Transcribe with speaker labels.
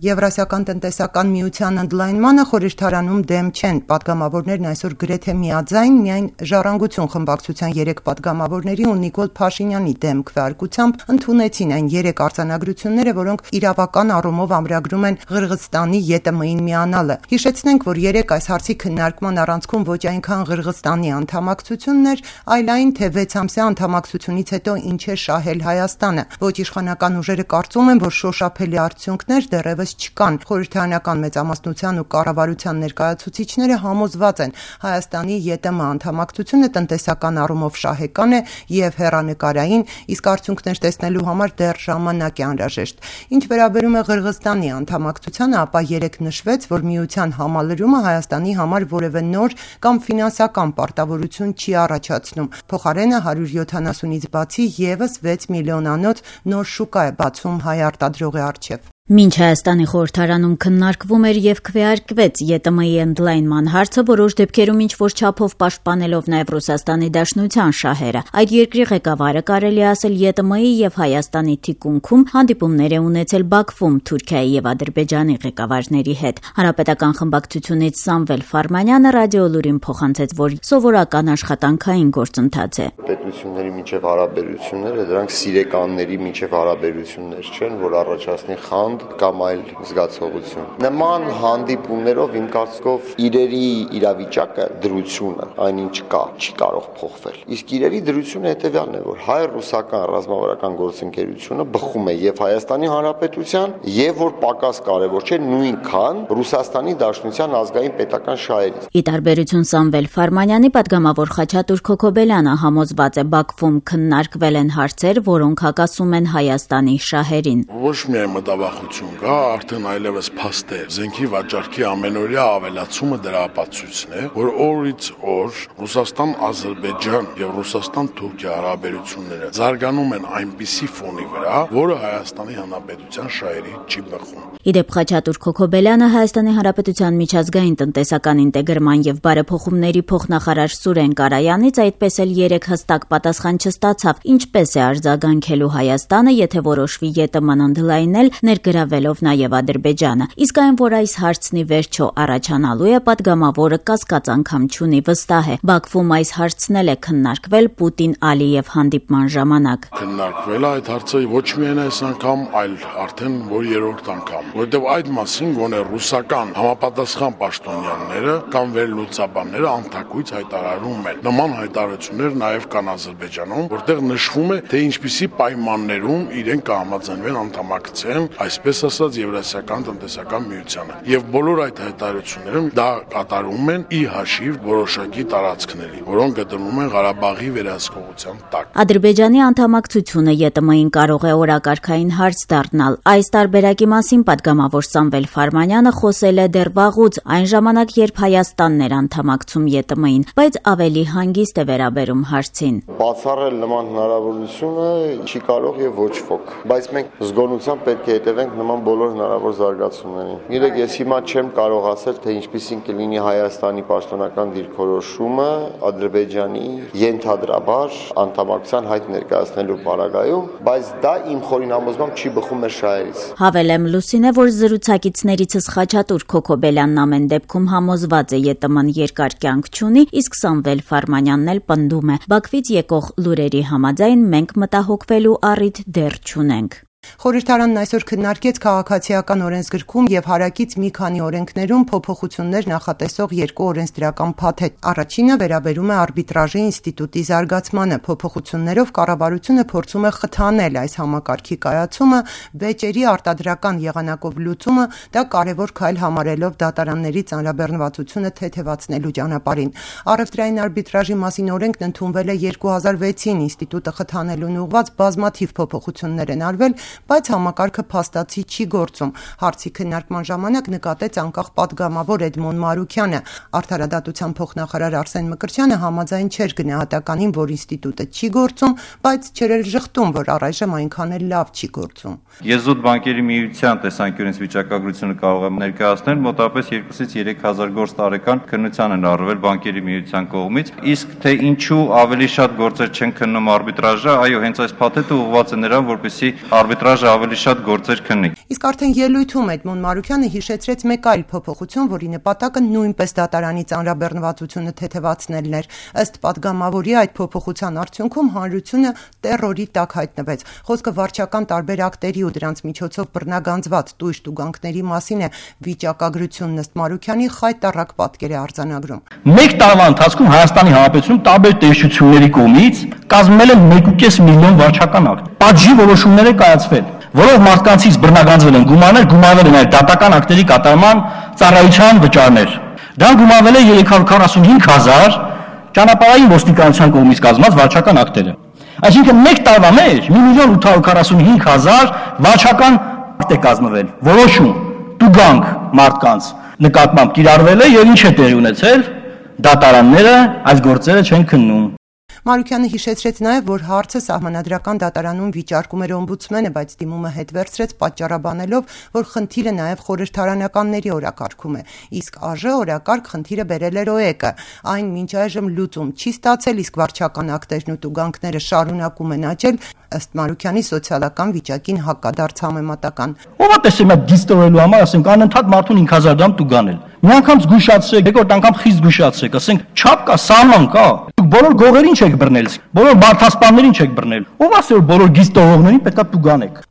Speaker 1: Եվրասիական տնտեսական միության ընդլայնմանը խորհրդարանում դեմ չեն։ Պատգամավորներն այսօր գրեթե միաձայն միայն Ժառանգություն խմբակցության 3 պատգամավորների ու Նիկոլ Փաշինյանի դեմ քվեարկությամբ ընդունեցին այն 3 արձանագրությունները, որոնք իրավական առումով ամրագրում են Ղրղըզստանի ԵՏՄ-ին միանալը։ Հիշեցնենք, որ 3 այս հարցի քննարկման առանցքում ոչ այնքան Ղրղըզստանի անդամակցությունն էր, այլ այն, թե 6 ամսյա անդամակցությունից հետո ինչ է շահել Հայաստանը։ Ոչ իշխանական ուժերը կարծում են, որ շոշափելի արդյունքներ դեռևս չկան։ Խորհրդարանական մեծամասնության ու կառավարության ներկայացուցիչները համոզված են, Հայաստանի ԵՏՄ անդամակցությունը տնտեսական առումով շահեկան է եւ հեռանկարային, իսկ արդյունքներ տեսնելու համար դեռ ժամանակ է անհրաժեշտ։ Ինչ վերաբերում է Ղրղըզստանի անդամակցությանը, ապա 3 նշվեց, որ միության համալրումը Հայաստանի համար որևէ նոր կամ ֆինանսական պարտավորություն չի առաջացնում։ Փոխարենը 170-ից բացի եւս 6 միլիոնանոց նոր շուկա է բացում հայ արտադրողի առջև։
Speaker 2: Մինչ Հայաստանի խորհրդարանում քննարկվում էր եւ քվեարկվեց ԵՏՄ-ի ընդլայնման հարցը, որոշ դեպքերում ինչ-որ չափով պաշտպանելով նաեւ Ռուսաստանի Դաշնության շահերը, այդ երկրի ղեկավարը կարելի ասել ԵՏՄ-ի եւ Հայաստանի թիկունքում հանդիպումներ է ունեցել Բաքվում Թուրքիայի եւ Ադրբեջանի ղեկավարների հետ։ Հանրապետական խմբակցությունից Սամվել Ֆարմանյանը ռադիոլուրին փոխանցեց, որ սովորական աշխատանքային գործընթաց է։
Speaker 3: Պետությունների միջև հարաբերությունները դրանք սիրեկանների միջև հարաբերություններ չեն, որ առաջացնի խանդ կամ այլ զգացողություն։ Նման հանդիպումներով իմ կարծիքով իրերի իրավիճակը, դրությունը, այնինչ կա, չի կարող փոխվել։ Իսկ իրերի դրությունը հետևյալն է, որ հայ-ռուսական ռազմավարական գործընկերությունը բխում է եւ Հայաստանի Հանրապետության, եւ որ պակաս կարեւոր չէ, նույնքան Ռուսաստանի Դաշնության ազգային պետական շահերից։
Speaker 2: Ի տարբերություն Սամվել Ֆարմանյանի, պատգամավոր Խաչատուր Քոքոբելյանը համոզված է, Բաքվում քննարկվել են հարցեր, որոնք հակասում են Հայաստանի շահերին։
Speaker 4: Ոչ միայն մտավախություն կա, արդեն այլևս փաստ է։ Զենքի վաճառքի ամենօրյա ավելացումը դրա ապացույցն է, որ օրից օր Ռուսաստան-Ադրբեջան եւ Ռուսաստան-Թուրքիա հարաբերությունները զարգանում են այնպիսի ֆոնի վրա, որը Հայաստանի Հանրապետության շահերի չի բխում։
Speaker 2: Իդեպ Խաչատուր Քոքոբելյանը Հայաստանի Հանրապետության միջազգային տնտեսական ինտեգրման եւ բարեփոխումների փոխնախարար Սուրեն Կարայանից այդպես էլ 3 հստակ պատասխան չստացավ, ինչպես է արձագանքելու Հայաստանը, եթե որոշվի ԵՏՄ-ն ընդլայնել, ներգրավելով նաեւ Ադրբեջանը։ Իսկ այն, որ այս հարցնի վերջո առաջանալու է, պատգամավորը կասկած անգամ չունի, վստահ է։ Բաքվում այս հարցն էլ է քննարկվել Պուտին-Ալիև հանդիպման ժամանակ։
Speaker 4: Քննարկվել է այդ հարցը ոչ միայն այս անգամ, այլ արդեն որ 3-րդ անգամ, որտեղ այդ մասին գոնե ռուսական համապատասխան պաշտոնյաները կամ վերլուծաբանները անթակույց հայտարարում են։ Նման հայտարարություններ նաեւ կան Ադրբեջանում, որտեղ նշվում է, թե ինչպիսի պայմաններում իրենք կհամաձայնվեն անդամակցեն, այսպես ասած Եվրասիական տնտեսական միությանը։ Եւ բոլոր այդ հայտարարություններում դա կատարում են ի հաշիվ որոշակի տարածքների, որոնք գտնվում են Ղարաբաղի վերահսկողության տակ։
Speaker 2: Ադրբեջանի անդամակցությունը ԵՏՄ-ին կարող է օրակարգային հարց դառնալ։ Այս տարբերակի մասին պատգամավոր Սամվել Ֆարմանյանը խոսել է դեռ վաղուց, այն ժամանակ, երբ Հայաստանն էր անդամակցում ԵՏՄ-ին, բայց ավելի հանգիստ է վերաբերում հարցին։
Speaker 3: Բացառել նման հնարավորությունը չի կարող եւ ոչ ոք, բայց մենք զգոնությամբ պետք է հետևենք նման բոլոր հնարավոր զարգացումներին։ Գիտեք, ես հիմա չեմ կարող ասել, թե ինչպիսին կլինի Հայաստանի պաշտոնական դիրքորոշումը Ադրբեջանի ենթադրաբար անդամակցության հայտ ներկայացնելու պարագայում, բայց դա իմ խորին համոզմամբ չի բխում մեր շահերից։
Speaker 2: Հավելեմ Լուսին է, որ զրուցակիցներիցս Խաչատուր Քոքոբելյանն ամեն դեպքում համոզված է ԵՏՄ-ն երկար կյանք չունի, իսկ Սամվել Ֆարմանյանն էլ պնդում է. Բաքվից եկող լուրերի համաձայն մենք մտահոգվելու առիթ դեռ չունենք։
Speaker 1: Խորհրդարանն այսօր քննարկեց քաղաքացիական օրենսգրքում եւ հարակից մի քանի օրենքներում փոփոխություններ նախատեսող 2 օրենսդրական փաթեթ։ Առաջինը վերաբերում է արբիտրաժի ինստիտուտի զարգացմանը։ Փոփոխություններով կառավարությունը փորձում է խթանել այս համակարգի կայացումը, վեճերի արտադրական եղանակով լուծումը, դա կարևոր քայլ համարելով դատարանների ծանրաբեռնվածությունը թեթևացնելու ճանապարհին։ Առևտրային արբիտրաժի մասին օրենքն ընդունվել է 2006-ին, ինստիտուտը խթանելուն ուղղված բազմաթիվ փոփոխություններ են արվել, բայց համակարգը փաստացի չի գործում։ Հարցի քննարկման ժամանակ նկատեց անկախ պատգամավոր Էդմոն Մարուքյանը։ Արդարադատության փոխնախարար Արսեն Մկրտչյանը համաձայն չէր գնահատականին, որ ինստիտուտը չի գործում, բայց չէր էլ ժխտում, որ առայժմ այնքան էլ լավ չի գործում։
Speaker 5: Եզոդ բանկերի միության տեսանկյունից վիճակագրությունը կարող է ներկայացնել մոտավորապես 2-ից 3000 գործ տարեկան քննության են առվել բանկերի միության կողմից, իսկ թե ինչու ավելի շատ գործեր չեն քննում արբիտրաժը, այո, հենց այս փաթեթը ուղղված է նրան, որպեսզի արբիտրաժ արբիտրաժը ավելի շատ գործեր քննի։
Speaker 1: Իսկ արդեն ելույթում Էդմոն Մարուկյանը հիշեցրեց մեկ այլ փոփոխություն, որի նպատակը նույնպես դատարանի ծանրաբեռնվածությունը թեթևացնելն էր։ Ըստ падգամավորի այդ փոփոխության արդյունքում հանրությունը տեռորի տակ հայտնվեց։ Խոսքը վարչական տարբեր ակտերի ու դրանց միջոցով բռնագանձված տույժ տուգանքների մասին է։ Վիճակագրությունն ըստ Մարուկյանի խայտառակ պատկեր է արձանագրում։
Speaker 6: Մեկ տարվա ընթացքում Հայաստանի Հանրապետությունում տարբեր տեսչությունների կողմից կազմվել են 1.5 միլիոն վարչական ակտ։ Պատժի որոշումներ է կայացվել, որով մարդկանցից բռնագանձվել են գումարներ, գումարվել են դատական ակտերի կատարման ծառայության վճարներ։ Դրան գումարվել է 345,000 ճանապարհային ոստիկանության կողմից կազմած վարչական ակտերը։ Այսինքն մեկ տարվա մեջ 1.845,000 վարչական ակտ է կազմվել, որոշում, տուգանք մարդկանց նկատմամբ կիրառվել է եւ ինչ է տեղի ունեցել, դատարանները այս գործերը չեն քննում։
Speaker 1: Մարուկյանը հիշեցրեց նաև, որ հարցը սահմանադրական դատարանում վիճարկում էր օմբուդսմենը, բայց դիմումը հետ վերցրեց պատճառաբանելով, որ խնդիրը նաև խորհրդարանականների օրակարգում է, իսկ ԱԺ օրակարգ խնդիրը բերել էր ՕԵԿ-ը։ Այն մինչ այժմ լուծում չի ստացել, իսկ վարչական ակտերն ու տուգանքները շարունակում են աճել, ըստ Մարուկյանի սոցիալական վիճակին հակադարձ համեմատական։
Speaker 6: Ո՞վ է տեսել այդ դիստորելու համար, ասենք անընդհատ մարդուն 5,000 դրամ տուգանել։ Մի անգամ զգուշացրեք, երկրորդ անգամ խիստ զգուշացրեք, ասենք չափ կա, սահման կա։ Բոլոր գողերին չեք բռնել, բոլոր բարդասպաններին չեք բռնել։ Ո՞վ ասել որ բոլոր գիծ տողողներին պետք է տուգանեք։